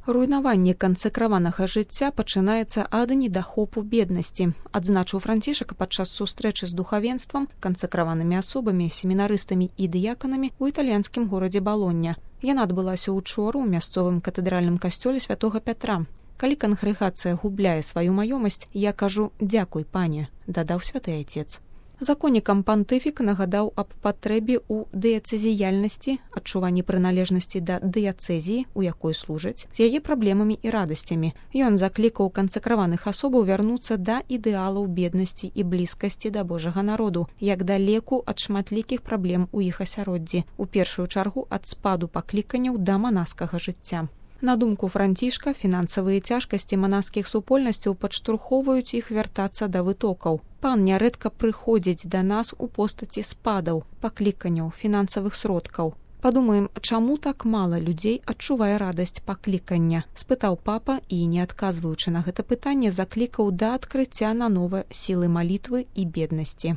Руйнаванне кансакраванага жыцця пачынаецца ад недахопу беднасці, адзначыў Францішак падчас сустрэчы з духавенствам, кансакраванымі асобамі, семінарыстамі і дыяканамі ў італьянскім горадзе Балоння. Яна адбылася учора ў мясцовым катэдральным касцёле святога Пятра. Калі кангрэгацыя губляе сваю маёмасць, я кажу «Дзякуй, пане», дадаў святы айцец. Законнікам пантыфік нагадаў аб патрэбе ў дыяцэзіяльнасці, адчуванні прыналежнасці да дыяцэзіі, у якой служаць, з яе праблемамі і радасцямі. Ён заклікаў кансакраваных асобаў вярнуцца да ідэалаў беднасці і блізкасці да Божага народу, як да леку ад шматлікіх праблем у іх асяроддзі, у першую чаргу ад спаду пакліканняў да манаскага жыцця. На думку Францішка, фінансавыя цяжкасці манаскіх супольнасцяў падштурхоўваюць іх вяртацца да вытокаў. Пан нярэдка прыходзіць да нас у постаці спадаў, пакліканняў, фінансавых сродкаў. Падумаем, чаму так мала людзей адчувае радасць паклікання? Спытаў папа і, не адказваючы на гэта пытанне, заклікаў да адкрыцця нанова сілы малітвы і беднасці.